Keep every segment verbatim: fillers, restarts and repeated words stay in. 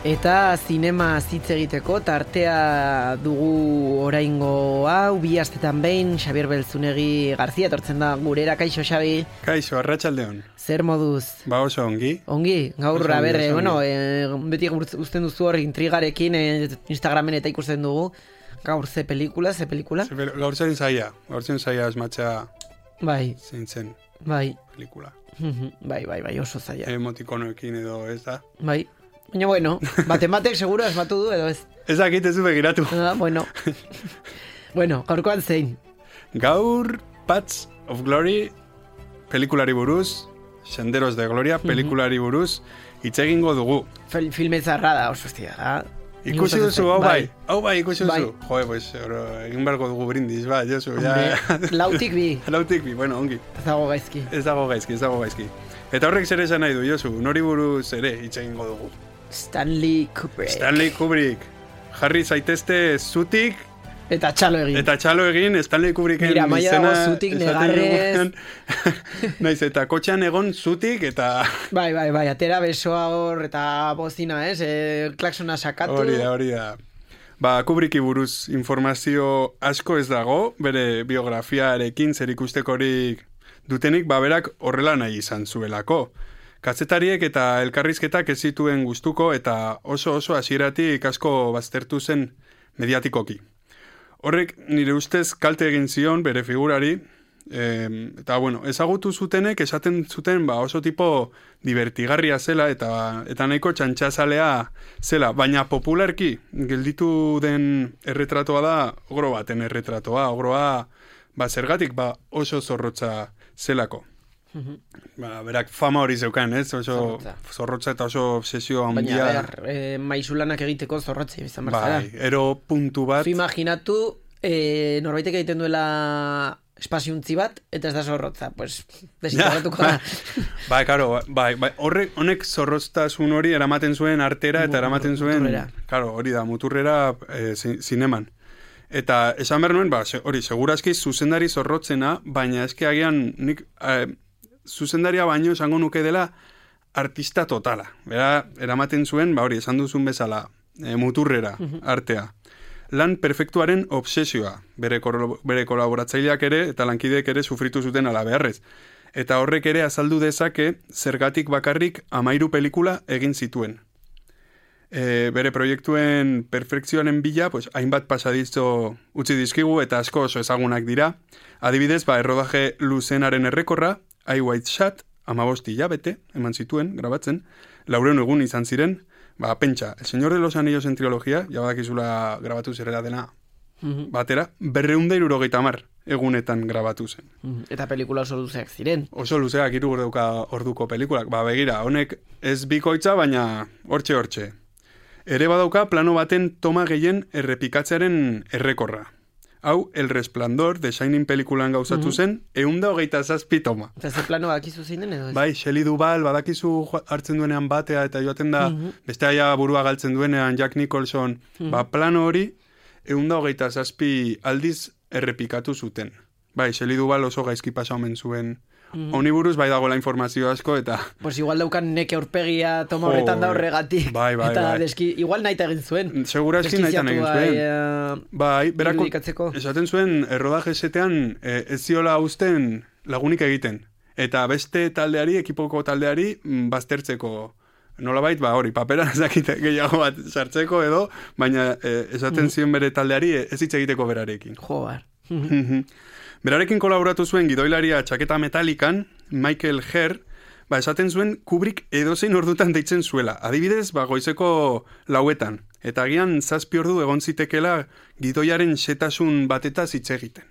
Eta zinema hitz egiteko tartea dugu oraingo hau, bi astetan behin, Xabier Belzunegi Garzia etortzen da gurera. Kaixo, Xabi? Kaixo, arratsaldeon. Zer moduz? Ba oso ongi. Ongi? Gaur, Oso ongi, berre, oso bueno, ongi. e, beti uzten duzu hor intrigarekin e, Instagramen eta ikusten dugu. Gaur ze pelikula, ze pelikula? Ze pel- Gaur zen zaia, gaur zen zaia asmatxa Bai, zein zen bai, pelikula. bai, bai, bai, oso zaila. Emotikonoekin edo ez da. Bai, baina bueno, baten batek seguro asmatu du edo ez. Ez dakit ez du begiratu. Ah, bueno, bueno, gaurkoan zein? Gaur, Paths of Glory, pelikulari buruz, Senderos de Gloria, pelikulari buruz, hitz egingo dugu. Fil- Filme zarra da, oso hostia, da. Ikusi duzu, hau bai, hau bai, ikusi Bai. duzu. Joe, pues, oro, egin beharko dugu brindis, ba, Josu, ja. Hombre, lautik bi, Lautik bi, bueno, ongi. ez dago gaizki. Ez dago gaizki, ez dago gaizki. Eta horrek zer esan nahi du, Josu, nori buruz ere hitz egingo dugu. Stanley Kubrick. Stanley Kubrick. Jarri zaitezte zutik, Eta txalo egin. eta txalo egin Stanley Kubricken Mira, maia izena. dago zutik, esaten negarrez. dugunean. Naiz, eta kotxean egon zutik, eta Bai, bai, bai, atera besoa hor eta bozina, ez? E, klaksona sakatu. hori da, hori da. Ba, Kubricki buruz informazio asko ez dago, bere biografiarekin zer ikustekorik dutenik, ba, berak horrela nahi izan zuelako. Kazetariek eta elkarrizketak ez zituen gustuko eta oso oso hasieratik asko baztertu zen mediatikoki. Horrek nire ustez kalte egin zion bere figurari, e, eta bueno, ezagutu zutenek esaten zuten ba, oso tipo divertigarria zela eta eta nahiko txantxazalea zela, baina popularki gelditu den erretratoa da ogro baten erretratoa, ogroa ba, zergatik ba, oso zorrotza zelako. Ba, berak fama hori zeukan, ez? Oso Zorrotza. zorrotza eta oso obsesio handia. Baina, ber, e, maizulanak egiteko zorrotzi izan behar Bai, ero puntu bat. Zu imaginatu, e, norbaitek egiten duela espaziuntzi bat, eta ez da zorrotza, pues, desintegratuko da. Bai, karo, bai, bai, horrek, honek zorroztasun hori eramaten zuen artera eta Mu- eramaten zuen, muturrera. karo, hori da, muturrera e, zi- zineman. Eta esan behar nuen, ba, se- hori, segurazki zuzendari zorrotzena, baina eske agian nik e, zuzendaria baino esango nuke dela artista totala. Bera, eramaten zuen, ba hori, esan duzun bezala, e, muturrera, artea. Lan perfektuaren obsesioa, bere, koro- bere kolaboratzaileak ere eta lankideek ere sufritu zuten ala beharrez. Eta horrek ere azaldu dezake zergatik bakarrik amairu pelikula egin zituen. E, bere proiektuen perfekzioaren bila, pues, hainbat pasadizo utzi dizkigu eta asko oso ezagunak dira. Adibidez, ba, errodaje luzenaren errekorra, I White Shot, amabosti hilabete, eman zituen, grabatzen, laureun egun izan ziren, ba, pentsa, El Señor de los Anillos en trilogía, ja badakizula grabatu zerera dena, batera, berreunda irurogeita hamar egunetan grabatu zen. Eta pelikula oso luzeak ziren. Oso luzeak hiru dauka orduko pelikulak, ba, begira, honek ez bikoitza, baina hortxe-hortxe. Ere badauka plano baten toma gehien errepikatzearen errekorra. Hau, El Resplandor, The Shining pelikulan gauzatu zen, eunda hogeita zazpi toma. Eta ze plano bakizu zein den edo ez? Bai, Shelley Duvall, badakizu joa- hartzen duenean batea eta joaten da, beste aia burua galtzen duenean Jack Nicholson, ba, plano hori, eunda hogeita zazpi aldiz errepikatu zuten. Bai, Shelley Duvall oso gaizki pasa omen zuen. Honi buruz bai dagoela informazio asko eta... Pues igual daukan neke aurpegia toma Jo, horretan da horregatik. bai, bai, Eta bai. deski, igual nahi egin zuen. Segurazki nahitan egin zuen. Deskiziatua, Bai, berako, irudikatzeko. esaten zuen errodaje setean eh, ez ziola uzten lagunik egiten. Eta beste taldeari, ekipoko taldeari, mm, baztertzeko nolabait, ba hori, paperan ezakite gehiago bat sartzeko edo, baina eh, esaten zion bere taldeari eh, ez hitz egiteko berarekin. Jo, bar. Berarekin kolaboratu zuen gidoilaria txaketa metalikan, Michael Herr, ba, esaten zuen Kubrick edozein ordutan deitzen zuela. Adibidez, ba, goizeko lauetan. Eta agian zazpi ordu egon zitekela gidoiaren xetasun batetaz hitz egiten.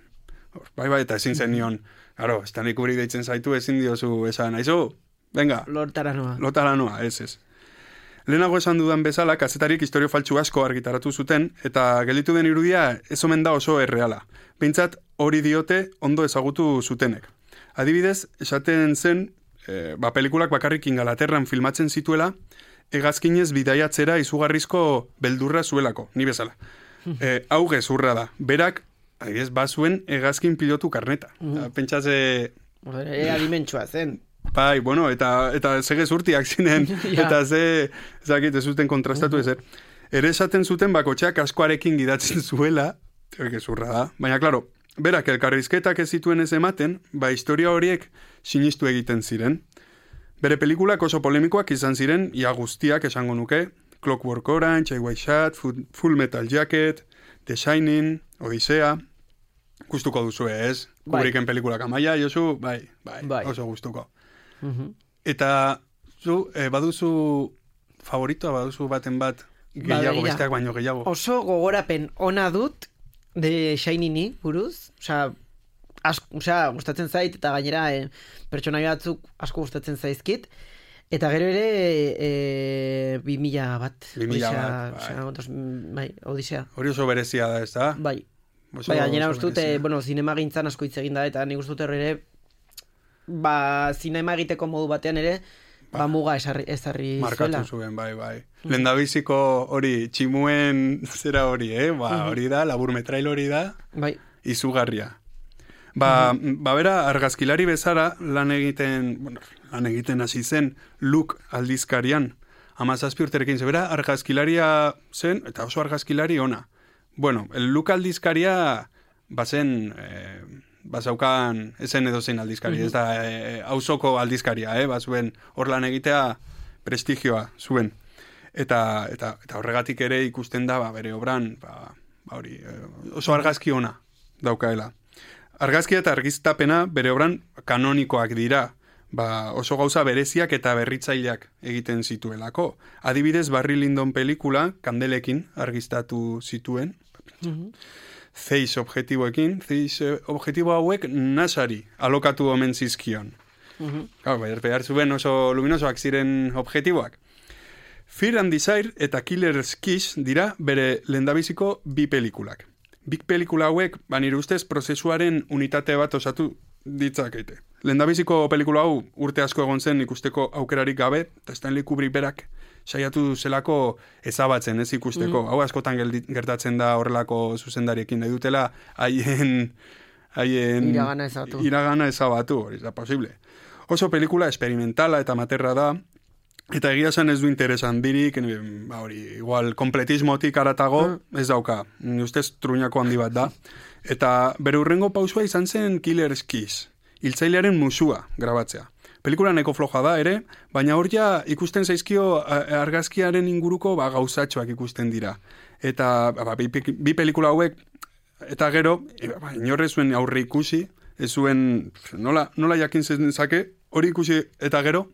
Hor, bai, bai, eta ezin zen nion, claro, Stanley Kubrick deitzen zaitu ezin diozu esan, aizu, venga, Lortara noa. lotara noa, ez ez. Lehenago esan dudan bezala, kazetarik historio faltsu asko argitaratu zuten, eta gelditu den irudia ez omen da oso erreala. Behintzat hori diote ondo ezagutu zutenek. Adibidez, esaten zen, e, ba, pelikulak bakarrik Ingalaterran filmatzen zituela, hegazkinez bidaiatzera izugarrizko beldurra zuelako, ni bezala. E, hau gezurra da. Berak, adibidez, bazuen hegazkin pilotu karneta. Mm. Pentsatze... Ea dimentsua zen. bai, bueno, eta, eta zege zurtiak zinen, ja. Eta ze, zakit, ez zuten kontrastatu ezer. Ere esaten zuten bakotxeak askoarekin gidatzen zuela, gezurra da, baina, klaro, berak elkarrizketak ez zituen ez ematen, ba, historia horiek sinistu egiten ziren. Bere pelikulak oso polemikoak izan ziren, ia guztiak esango nuke, Clockwork Orange, I White Shot, Full Metal Jacket, The Shining, Odisea, gustuko duzu ez? Bai. Kubricken pelikulak amaia, Josu, bai, bai, bai. Oso gustuko. Uh-huh. Eta, zu, eh, baduzu favoritoa, baduzu baten bat, gehiago, ba, besteak baino gehiago. Oso gogorapen ona dut, The Shining-i, buruz, osea, osea, gustatzen zait, eta gainera eh, pertsonai batzuk asko gustatzen zaizkit, eta gero ere e, bi mila bat. Bi mila bat, bai. Osea, bai, Odisea. Hori oso berezia da, ez da? Bai. Oso, bai, gainera uste dute, bueno, zinema gintzan asko hitz egin da, eta nik uste dut ere, ba, zinema egiteko modu batean ere, ba, ba muga esarri, esarri markatu zuela. Zuen, bai, bai. Mm. Lendabiziko hori, tximuen zera hori, eh? Ba, mm-hmm. Hori da, laburmetrail hori da, bai. Izugarria. Ba, mm-hmm. ba, bera, argazkilari bezara lan egiten, bueno, lan egiten hasi zen Look aldizkarian, hamazazpi urterekin zebera, argazkilaria zen, eta oso argazkilari ona. Bueno, el Look aldizkaria bazen, eh, bazaukan, esen edo zein aldizkari, mm-hmm. ez da, eh, auzoko aldizkaria, eh, bazuen hor lan egitea prestigioa zuen. Eta, eta, eta horregatik ere ikusten da, ba, bere obran, ba, ba hori, eh, oso argazki ona daukaela. Argazkia eta argiztapena bere obran kanonikoak dira, ba, oso gauza bereziak eta berritzaileak egiten zituelako. Adibidez, Barry Lyndon pelikula, kandelekin argiztatu zituen, mm-hmm. Zeiss objektiboekin, Zeiss objektibo hauek nasari alokatu omen zizkion. Mm-hmm. Gau, behar zuen oso luminosoak ziren objektiboak. Fear and Desire eta Killer's Kiss dira bere lehendabiziko bi pelikulak. Big pelikula hauek, banire ustez, prozesuaren unitate bat osatu ditzakete. Lehendabiziko pelikula hau urte asko egon zen ikusteko aukerarik gabe, eta Stanley Kubrick berak saiatu zelako ezabatzen, ez ikusteko. Mm. Hau askotan gertatzen da horrelako zuzendariekin nahi dutela, haien... haien iragana ezabatu. Iragana ezabatu, hori da posible. Oso pelikula experimentala eta materra da, eta egia esan ez du interesan dirik, ba hori, igual, kompletismotik aratago, mm. ez dauka, ustez truñako handi bat da. Eta bere hurrengo pausua izan zen Killer's Kiss, hiltzailearen musua grabatzea. Pelikula neko floja da ere, baina hor ja ikusten zaizkio argazkiaren inguruko ba, gauzatxoak ikusten dira. Eta ba, bi, bi pelikula hauek, eta gero, ba, inorre zuen aurre ikusi, ez zuen, nola, nola jakin zake, hori ikusi eta gero,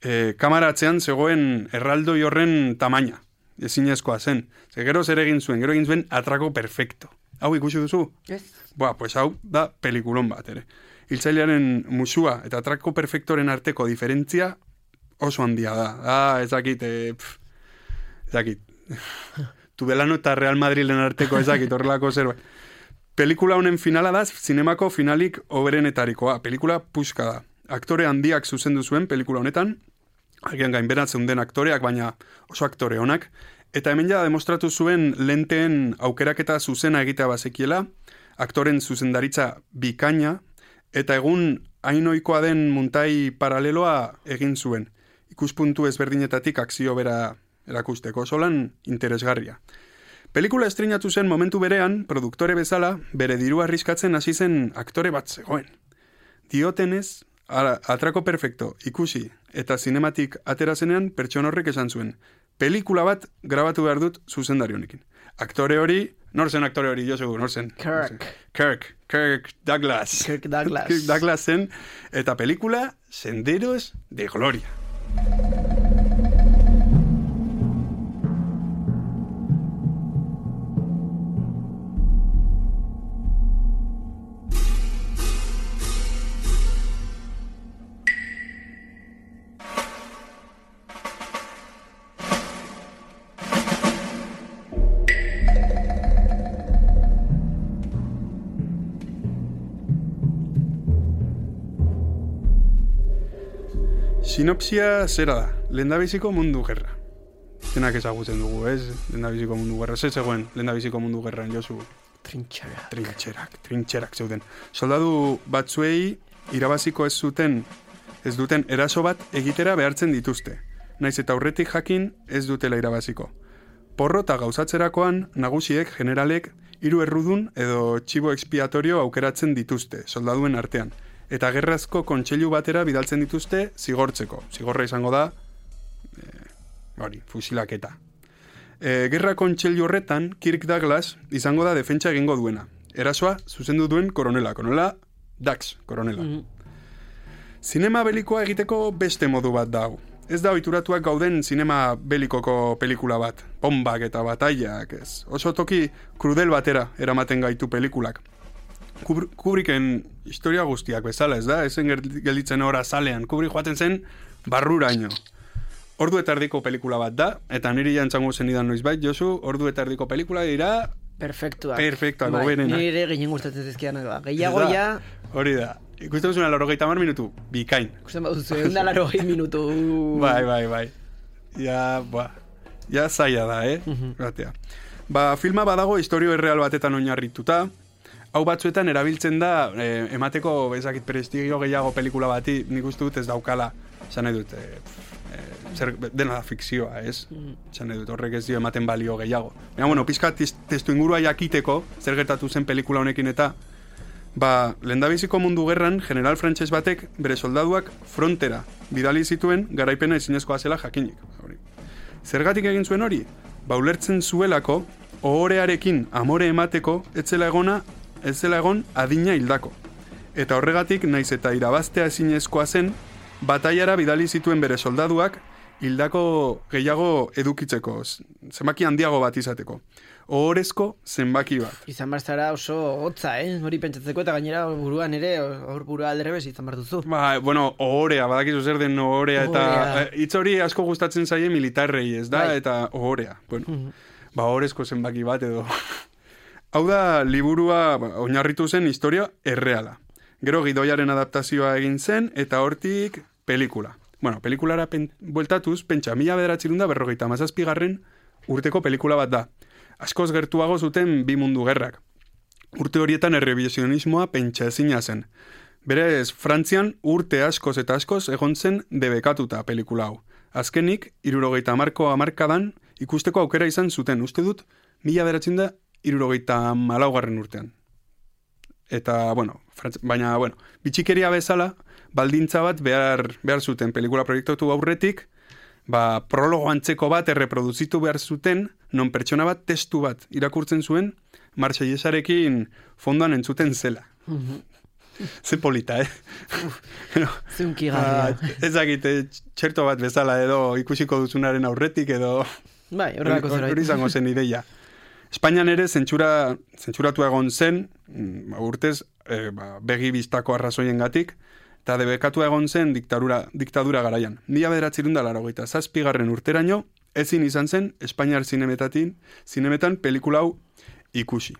E, kamaratzean zegoen erraldoi horren tamaina, ezinezkoa zen. Ze gero zer egin zuen, gero egin zuen atrako perfecto. Hau ikusi duzu? Yes. Boa, pues hau da pelikulon bat, ere. Hiltzailearen musua eta atrako perfektoren arteko diferentzia oso handia da. Ah, ezakit, e, pff, ezakit. Tudelano eta Real Madrilen arteko ezakit, horrelako zerbait. Pelikula honen finala da, zinemako finalik oberenetarikoa. Pelikula puska da. Aktore handiak zuzendu zuen pelikula honetan, agian gainberatzen den aktoreak, baina oso aktore honak, eta hemen ja demostratu zuen lenteen aukeraketa zuzena egitea bazekiela, aktoren zuzendaritza bikaina, eta egun hainoikoa den muntai paraleloa egin zuen. Ikuspuntu ezberdinetatik akzio bera erakusteko, solan interesgarria. Pelikula estreinatu zen momentu berean, produktore bezala, bere dirua arriskatzen hasi zen aktore bat zegoen. Diotenez, Ara, atrako perfecto, ikusi, eta zinematik atera zenean pertson horrek esan zuen. Pelikula bat grabatu behar dut zuzendari honekin. Aktore hori, nor zen aktore hori, jo segur, nor zen? Kirk. Kirk, Kirk Douglas. Kirk Douglas. Kirk Douglas zen, eta pelikula Senderos de Gloria. Sinopsia zera da, lehendabiziko mundu gerra. Zenak ezagutzen dugu, ez? Lehendabiziko mundu gerra. Zer zegoen lehendabiziko mundu gerran, Josu? Trintxerak. Trintxerak, trintxerak zeuden. Soldadu batzuei irabaziko ez zuten ez duten eraso bat egitera behartzen dituzte. Naiz eta aurretik jakin ez dutela irabaziko. Porro eta gauzatzerakoan nagusiek, generalek, hiru errudun edo txibo expiatorio aukeratzen dituzte, soldaduen artean. Eta gerrazko kontseilu batera bidaltzen dituzte zigortzeko. Zigorra izango da, e, hori, fusilaketa. E, gerra kontseilu horretan, Kirk Douglas izango da defentsa egingo duena. Erasoa zuzendu duen koronela. Koronela, Dax, koronela. Mm-hmm. Zinema belikoa egiteko beste modu bat da hau. Ez da ohituratuak gauden zinema belikoko pelikula bat. Bombak eta batailak, ez. Oso toki krudel batera eramaten gaitu pelikulak. Kubricken historia guztiak bezala, ez da? Ezen gelditzen ora salean. Kubrick joaten zen barruraino. Ordu eta erdiko pelikula bat da, eta niri jantzango zenidan noizbait, Josu, ordu eta erdiko pelikula dira... Perfektuak. Perfektuak, bai, goberenak. Nire ginen gustatzen zizkianak da. Gehiago ja... Hori da. Ikusten duzuna laurogeita hamar minutu, bikain. Ikusten baduzu, egun da laurogei minutu. Bai, bai, bai. Ja, ba, ja zaila da, eh? Uh-huh. Ba, filma badago historio erreal batetan oinarrituta. Hau batzuetan erabiltzen da, eh, emateko bezakit prestigio gehiago pelikula bati, nik uste dut ez daukala, esan nahi dut, eh, eh, zer, dena da fikzioa, ez? Esan nahi dut, horrek ez dio ematen balio gehiago. Baina, bueno, pizka testu ingurua jakiteko, zer gertatu zen pelikula honekin eta, ba, lehendabiziko mundu gerran, general frantses batek bere soldaduak frontera bidali zituen garaipena ezinezkoa zela jakinik. Zergatik egin zuen hori? Ba, ulertzen zuelako, ohorearekin amore emateko, etzela egona, ez zela egon adina hildako. Eta horregatik, naiz eta irabaztea ezinezkoa zen, bataiara bidali zituen bere soldaduak, hildako gehiago edukitzeko, zenbaki handiago bat izateko. Ohorezko zenbaki bat. Izan barzara oso hotza, eh? Hori pentsatzeko eta gainera buruan ere, hor burua alderebez izan bartuzu. Ba, bueno, ohorea, badakizu zer den ohorea, eta hitz hori asko gustatzen zaie militarrei, ez da? Bai. Eta ohorea. Bueno, uh-huh. Ba, ohorezko zenbaki bat edo... Hau da, liburua ba, oinarritu zen historia erreala. Gero gidoiaren adaptazioa egin zen, eta hortik pelikula. Bueno, pelikulara pen, bueltatuz, pentsa, mila bederatzirunda berrogeita mazazpigarren urteko pelikula bat da. Askoz gertuago zuten bi mundu gerrak. Urte horietan errebizionismoa pentsa ezina zen. Berez, Frantzian urte askoz eta askoz egon zen debekatuta pelikula hau. Azkenik, hirurogeita hamarko hamarkadan ikusteko aukera izan zuten, uste dut, mila bederatzirunda hirurogeita malaugarren urtean. Eta, bueno, frantz... baina, bueno, bitxikeria bezala, baldintza bat behar, behar zuten pelikula proiektatu aurretik, ba, prologo antzeko bat erreproduzitu behar zuten, non pertsona bat testu bat irakurtzen zuen, Marseillasarekin fondoan entzuten zela. Ze polita, eh? no, Zunkigarria. Uh, ez dakite, txerto bat bezala edo ikusiko duzunaren aurretik edo... Bai, horrelako zerbait. Hori izango zen ideia. Espainian ere zentsura, zentzuratu egon zen, urtez, e, ba, begi biztako arrazoiengatik, eta debekatu egon zen diktadura, diktadura garaian. Mila bederatzirunda laurogeita zazpigarren urteraino, ezin izan zen Espainiar zinemetatin, zinemetan pelikula hau ikusi.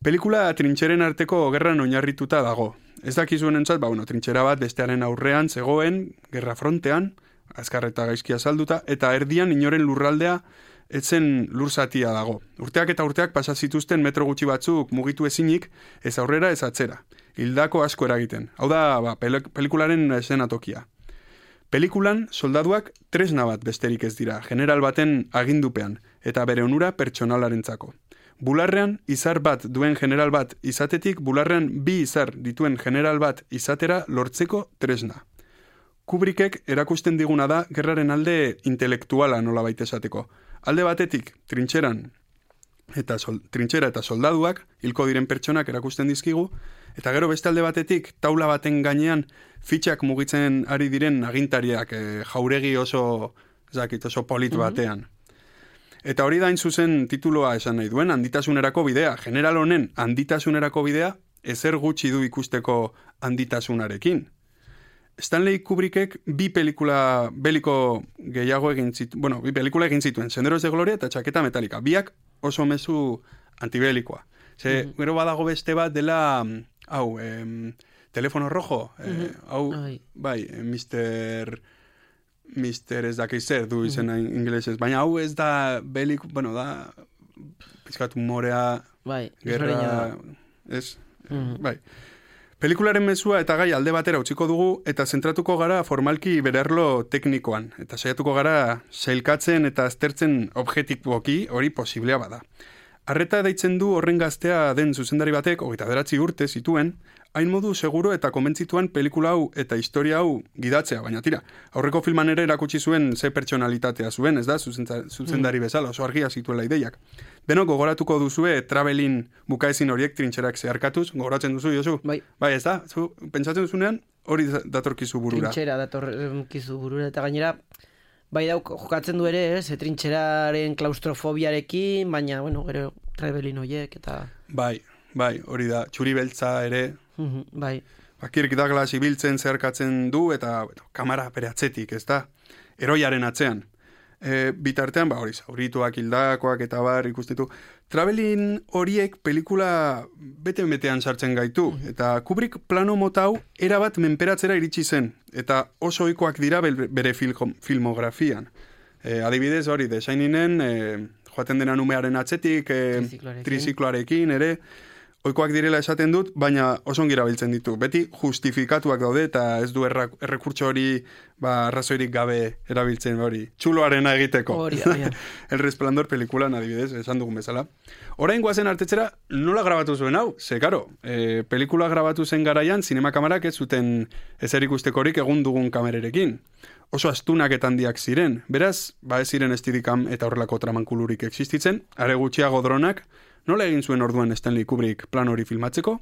Pelikula trintxeren arteko gerran oinarrituta dago. Ez dakizuen entzat, ba, bueno, trintxera bat bestearen aurrean zegoen, gerra frontean, azkarreta gaizkia salduta, eta erdian inoren lurraldea etzen lurzatia dago. Urteak eta urteak pasa zituzten metro gutxi batzuk mugitu ezinik, ez aurrera ez atzera. Hildako asko eragiten. Hau da, ba, pelikularen eszenatokia. Pelikulan soldaduak tresna bat besterik ez dira, general baten agindupean, eta bere onura pertsonalarentzako. Bularrean izar bat duen general bat izatetik, bularrean bi izar dituen general bat izatera lortzeko tresna. Kubrickek erakusten diguna da gerraren alde intelektuala nola baita esateko. Alde batetik, trintxeran eta sol, trintxera eta soldaduak, hilko diren pertsonak erakusten dizkigu, eta gero beste alde batetik, taula baten gainean fitxak mugitzen ari diren agintariak e, jauregi oso, zakit, oso polit batean. Eta hori da hain zuzen tituloa esan nahi duen, handitasunerako bidea. General honen handitasunerako bidea, ezer gutxi du ikusteko handitasunarekin. Stanley Kubrickek bi pelikula beliko gehiago egin zituen, bueno, bi pelikula egin zituen, Senderos de Gloria eta Txaketa Metalika. Biak oso mezu antibelikoa. Ze, mm-hmm. Gero badago beste bat dela, hau, em, Telefono Rojo, mm-hmm. eh, hau, Ai. bai, mister mister ez dakiz zer du izena mm-hmm. ingelesez, baina hau ez da belik, bueno, da, pizkat humorea, bai, gerra, ez, mm-hmm. bai. Pelikularen mezua eta gai alde batera utziko dugu eta zentratuko gara formalki bererlo teknikoan. Eta saiatuko gara sailkatzen eta aztertzen objektiboki hori posiblea bada. Arreta deitzen du horren gaztea den zuzendari batek, hogeita bederatzi urte zituen, hain modu seguro eta konbentzituan pelikula hau eta historia hau gidatzea, baina tira, aurreko filman ere erakutsi zuen ze pertsonalitatea zuen, ez da, zuzendari bezala, oso argia zituela ideiak. Beno, gogoratuko duzue travelin bukaezin horiek trintxerak zeharkatuz, gogoratzen duzu, Josu? Bai. Bai, ez da, zu, pentsatzen duzunean, hori datorkizu burura. Trintxera datorkizu burura, eta gainera, bai dauk, jokatzen du ere, ez, trintxeraren klaustrofobiarekin, baina, bueno, gero travelin horiek, eta... Bai, bai, hori da, txuri beltza ere... Mm-hmm, bai. Kirk Douglas ibiltzen zeharkatzen du eta bueno, kamera bere atzetik, ez da? Eroiaren atzean. E, bitartean, ba hori, zaurituak, hildakoak eta bar ikustitu. Travelin horiek pelikula bete-betean sartzen gaitu. Mm-hmm. Eta Kubrick plano mota hau erabat menperatzera iritsi zen. Eta oso ohikoak dira bere film, filmografian. E, adibidez hori, The Shiningen, e, joaten dena numearen atzetik, e, trizikloarekin ere, ohikoak direla esaten dut, baina oso ongi erabiltzen ditu. Beti justifikatuak daude eta ez du errekurtso hori ba, arrazoirik gabe erabiltzen hori. Txuloarena egiteko. Hori, hori. El Resplandor pelikulan adibidez, esan dugun bezala. Orain goazen artetzera, nola grabatu zuen hau? Ze, karo, e, pelikula grabatu zen garaian, zinemakamarak ez zuten ezer ikustekorik egun dugun kamererekin. Oso astunak eta handiak ziren. Beraz, ba ez ziren estidikam eta horrelako tramankulurik existitzen, are gutxiago dronak. Nola egin zuen orduan Stanley Kubrick plan hori filmatzeko?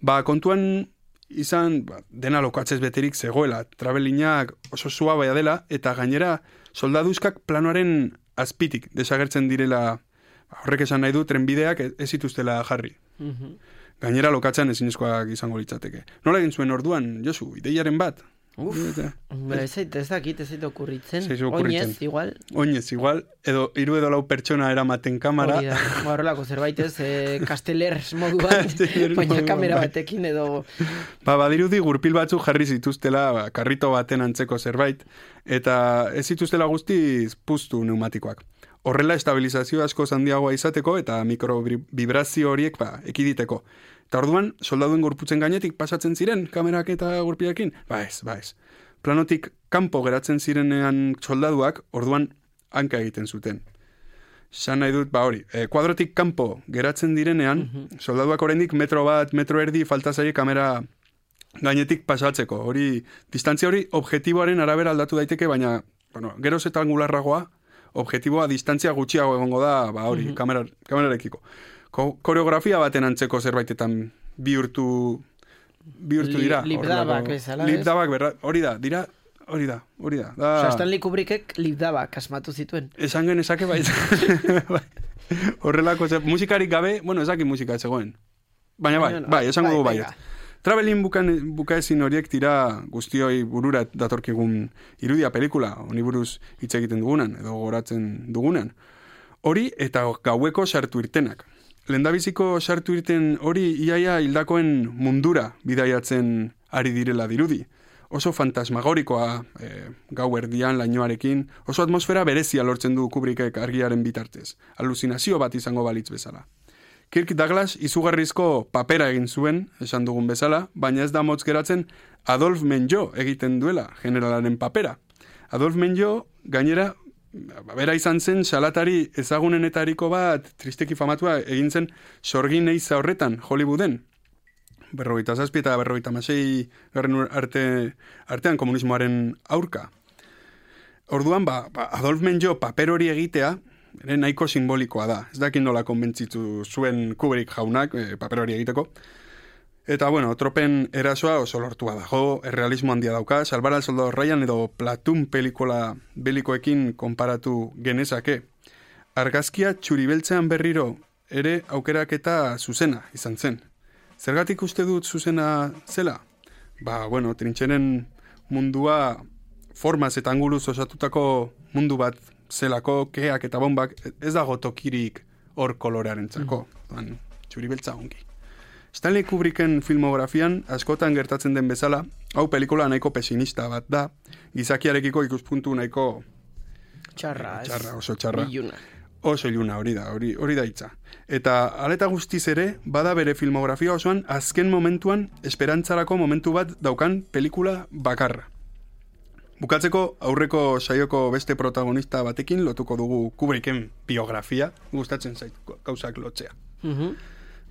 Ba, kontuan izan ba, dena lokatzez beterik zegoela, travelinak oso suabaia dela, eta gainera soldaduzkak planoaren azpitik desagertzen direla, horrek esan nahi du, trenbideak ez zituztela jarri. Mm-hmm. Gainera lokatzean ezinezkoak izango litzateke. Nola egin zuen orduan, Josu, ideiaren bat? Uf, ez ez dakit, ez zait okurritzen. Oinez, igual. Oinez, igual. Edo, hiru edo lau pertsona eramaten kamera. Hori da, horrelako zerbait ez, eh, kastelers moduan, baina kamera batekin edo... Ba, badirudi gurpil batzuk jarri zituztela, ba, karrito baten antzeko zerbait, eta ez zituztela guztiz puztu pneumatikoak. Horrela estabilizazio asko handiagoa izateko eta mikrobibrazio horiek ba, ekiditeko. Eta orduan, soldaduen gorputzen gainetik pasatzen ziren kamerak eta gurpiakin? Ba ez, ba ez. Planotik kanpo geratzen zirenean soldaduak, orduan hanka egiten zuten. San nahi dut, ba hori, e, kuadrotik kanpo geratzen direnean, mm-hmm. soldaduak oraindik metro bat, metro erdi falta zaie kamera gainetik pasatzeko. Hori, distantzia hori objektiboaren arabera aldatu daiteke, baina, bueno, geroz eta angularragoa, objektiboa distantzia gutxiago egongo da, ba hori, mm-hmm. kamera, kamerarekiko. Ko- koreografia baten antzeko zerbaitetan bihurtu bihurtu dira. Li, lipdabak bezala, ez? Lipdabak, berra, hori da, dira, hori da, hori da. da. Osa, Stanley Kubrickek lipdabak asmatu zituen. Esan genezake baita. Horrelako, ze, musikarik gabe, bueno, ezaki musika zegoen. Baina bai, bai, esango dugu baiet. Travelin bukaezin horiek tira guztioi burura datorkigun irudia pelikula, honi buruz hitz egiten dugunan, edo goratzen dugunan. Hori eta gaueko sartu irtenak. Lendabiziko sartu irten hori iaia hildakoen mundura bidaiatzen ari direla dirudi. Oso fantasmagorikoa e, gau erdian lainoarekin, oso atmosfera berezia lortzen du Kubrickek argiaren bitartez. Aluzinazio bat izango balitz bezala. Kirk Douglas izugarrizko papera egin zuen, esan dugun bezala, baina ez da motz geratzen Adolf Menjou egiten duela generalaren papera. Adolf Menjou gainera bera izan zen salatari ezagunenetariko bat tristeki famatua egin zen sorgin eiza horretan Hollywooden. Berrogeita zazpi eta berrogeita masei garren arte, artean komunismoaren aurka. Orduan, ba, ba, Adolf Menjou paper hori egitea ere nahiko simbolikoa da. Ez dakin nola konbentzitu zuen Kubrick jaunak e, paper hori egiteko. Eta, bueno, tropen erasoa oso lortua dago, errealismo handia dauka, Salvar al Soldado Ryan edo Platoon pelikola belikoekin konparatu genezake. Argazkia txuribeltzean berriro ere aukeraketa zuzena izan zen. Zergatik uste dut zuzena zela? Ba, bueno, trintxeren mundua formaz eta anguluz osatutako mundu bat zelako, keak eta bombak, ez dago tokirik hor kolorearen txako. Mm. Txuribeltza ongi. Stanley Kubricken filmografian askotan gertatzen den bezala, hau pelikula nahiko pesimista bat da, gizakiarekiko ikuspuntu nahiko txarra, txarra oso txarra. Biluna. oso iluna hori da, hori, hori da hitza. Eta aleta guztiz ere, bada bere filmografia osoan azken momentuan esperantzarako momentu bat daukan pelikula bakarra. Bukatzeko aurreko saioko beste protagonista batekin lotuko dugu Kubricken biografia, gustatzen zait gauzak lotzea. Mhm.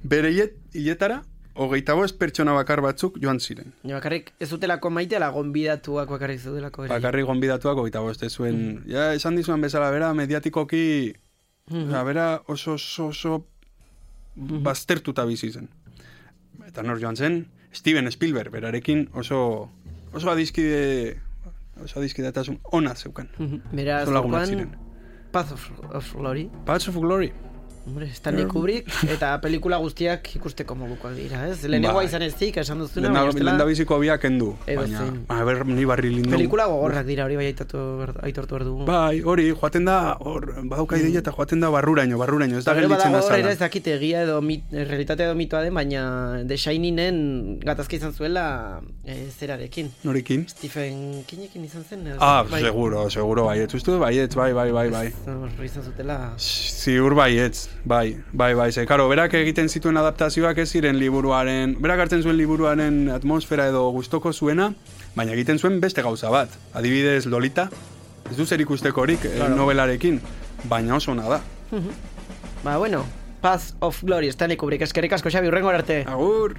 Bere hiletara, hogeita bost pertsona bakar batzuk joan ziren. Ja, bakarrik ez zutelako maite, ala gonbidatuak bakarrik zutelako. Bakarrik gonbidatuak hogeita bost, ez zuen, mm. ja, esan dizuan bezala, bera, mediatikoki, mm. ja, bera oso, oso, oso mm. baztertuta bizi zen. Eta nor joan zen, Steven Spielberg, berarekin oso, oso adizkide, oso adizkidetasun ona zeukan. Mm-hmm. Beraz, zuan, Path of, of Glory. Path of Glory. Hombre, Stanley Kubrick, eta pelikula guztiak ikusteko modukoak dira, ez? Lehenengoa izan ez zik, esan duzuna, baina estela... Lehen da biziko biak endu, baina, a ber, ni barri lindu. Pelikula gogorrak dira, hori bai aitortu behar dugu. Bai, hori, joaten da, hor, badauka ideia eta joaten da barruraino, barruraino, ez da gelditzen da zala. Ez dakit egia edo, mit, realitatea edo mitoa den, baina The Shiningen gatazka izan zuela e, zerarekin. Norekin? Stephen Kingekin izan zen. Ez, ah, bai. seguro, seguro, baietz, uste du, baietz, bai, bai, bai, bai. Ez, izan zutela... Ziur baietz. Bai, bai, bai, ze, karo, berak egiten zituen adaptazioak ez ziren liburuaren, berak hartzen zuen liburuaren atmosfera edo gustoko zuena, baina egiten zuen beste gauza bat. Adibidez Lolita, ez du zer ikustekorik claro. Novelarekin, baina oso ona da. Ba, bueno, Path of Glory, Stanley Kubrick, eskerrik asko, Xabi, hurrengo arte. Agur!